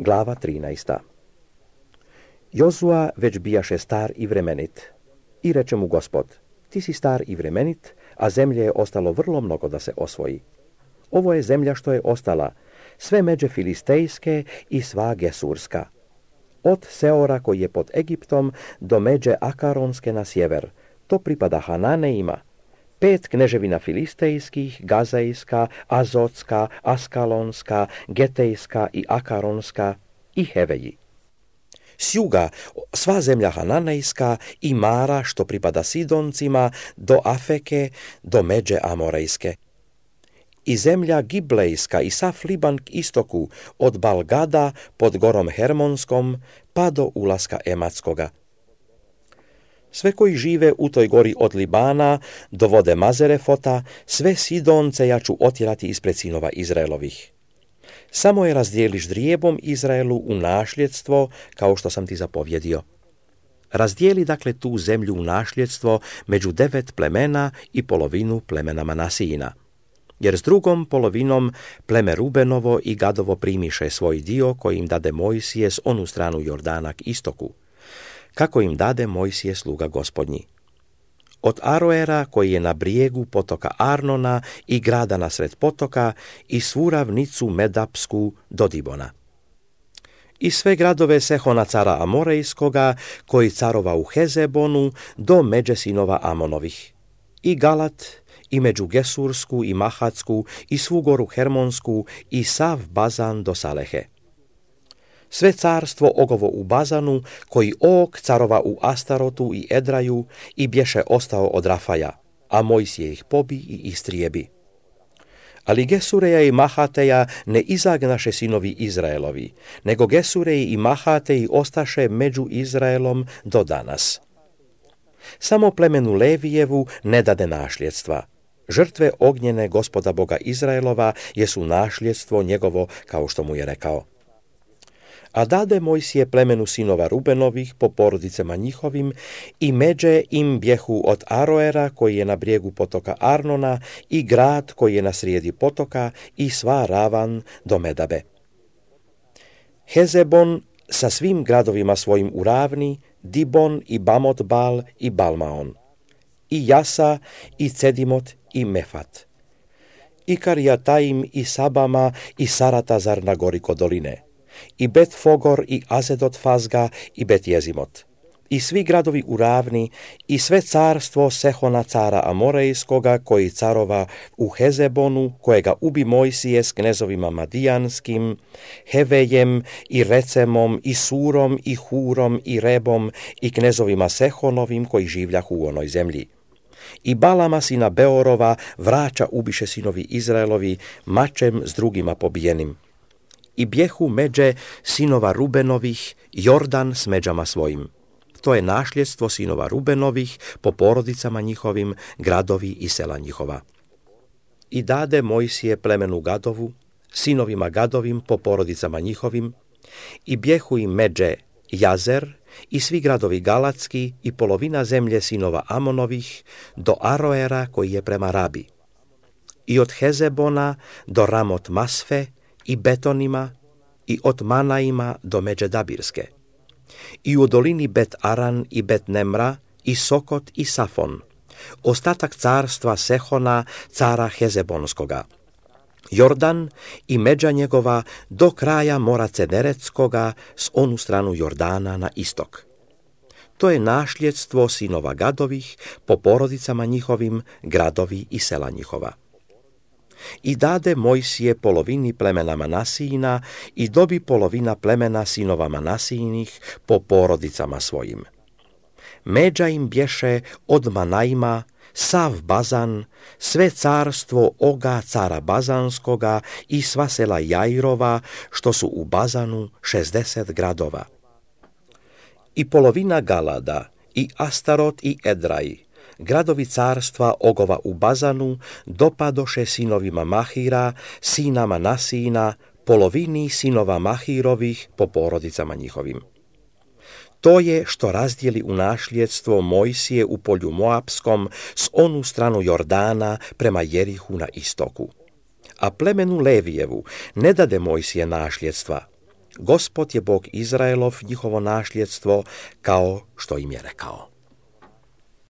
Glava 13. Jozua već bijaše star i vremenit. I reče mu Gospod, ti si star i vremenit, a zemlje je ostalo vrlo mnogo da se osvoji. Ovo je zemlja što je ostala, sve međe filistejske i sva gesurska. Od Seora koji je pod Egiptom do međe Akaronske na sjever, to pripada Hananeima. 5 kneževina filistejskih, Gazejska, Azotska, Askalonska, Getejska i Akaronska i Heveji. S juga sva zemlja Hananejska i Mara što pripada Sidoncima do Afeke do međe Amorejske. I zemlja Giblejska i sav Liban k istoku od Balgada pod gorom Hermonskom pa do ulaska Ematskoga. Sve koji žive u toj gori od Libana do vode Mazerefota, sve Sidonce ja ću otjerati ispred sinova Izraelovih. Samo je razdijeliš drijebom Izraelu u našljedstvo, kao što sam ti zapovjedio. Razdijeli dakle tu zemlju u našljedstvo među 9 plemena i polovinu plemena Manasijina. Jer s drugom polovinom pleme Rubenovo i Gadovo primiše svoj dio koji im dade Mojsije s onu stranu Jordana k istoku, kako im dade Mojsije sluga Gospodnji. Od Aroera koji je na brijegu potoka Arnona i grada nasred potoka i svu ravnicu Medapsku do Dibona. I sve gradove Sehona cara Amorejskoga koji carova u Hezebonu do međe sinova Amonovih. I Galat i među Gesursku i Mahatsku i svu goru Hermonsku i sav Bazan do Salehe. Sve carstvo ogovo u Bazanu, koji Og carova u Astarotu i Edraju i bješe ostao od Rafaja, a Mojsije ih pobi i istrijebi. Ali Gesureja i Mahateja ne izagnaše sinovi Izraelovi, nego Gesureji i Mahateji ostaše među Izraelom do danas. Samo plemenu Levijevu ne dade našljedstva. Žrtve ognjene Gospoda Boga Izraelova jesu našljedstvo njegovo, kao što mu je rekao. A dade Mojsije plemenu sinova Rubenovih po porodicama njihovim i međe im bjehu od Aroera koji je na brijegu potoka Arnona i grad koji je na srijedi potoka i sva ravan do Medabe. Hezebon sa svim gradovima svojim u ravni, Dibon i Bamot-Bal i Balmaon, i Jasa i Cedimot i Mefat, i Karijataim i Sabama i Saratazar na gori kod doline, i Bet-Fogor i Azedot-Fazga i Bet-Jezimot, i svi gradovi u ravni, i sve carstvo Sehona cara Amorejskoga koji carova u Hezebonu, kojega ubi Mojsije s knezovima Madijanskim, Hevejem i Recemom i Surom i Hurom i Rebom i knezovima Sehonovim koji življahu u onoj zemlji. I Balama sina Beorova vraća ubiše sinovi Izraelovi mačem s drugima pobijenim. I bjehu međe sinova Rubenovih Jordan s međama svojim. To je našljedstvo sinova Rubenovih po porodicama njihovim, gradovi i sela njihova. I dade Mojsije plemenu Gadovu, sinovima Gadovim po porodicama njihovim, i bjehu im međe Jazer i svi gradovi Galatski i polovina zemlje sinova Amonovih do Aroera koji je prema Rabi. I od Hezebona do Ramot Masfe i Betonima i od Manaima do međe Dabirske. I u dolini Bet Aran i Bet Nemra i Sokot i Safon, ostatak carstva Sehona, cara Hezebonskoga, Jordan i međa njegova do kraja mora Cederetskoga s onu stranu Jordana na istok. To je našljedstvo sinova Gadovih po porodicama njihovim, gradovi i sela njihova. I dade Mojsije polovini plemena Manasijina i dobi polovina plemena sinova Manasijinih po porodicama svojim. Međa im bješe od Manaima sav Bazan, sve carstvo Oga cara Bazanskoga i sva sela Jairova, što su u Bazanu 60 gradova. I polovina Galada, i Astarot i Edraj, gradovi carstva Ogova u Bazanu, dopadoše sinovima Mahira, sina Manasijina, polovini sinova Mahirovih po porodicama njihovim. To je što razdijeli u našljedstvo Mojsije u polju Moapskom s onu stranu Jordana prema Jerihu na istoku. A plemenu Levijevu ne dade Mojsije našljedstva. Gospod je Bog Izraelov njihovo našljedstvo, kao što im je rekao.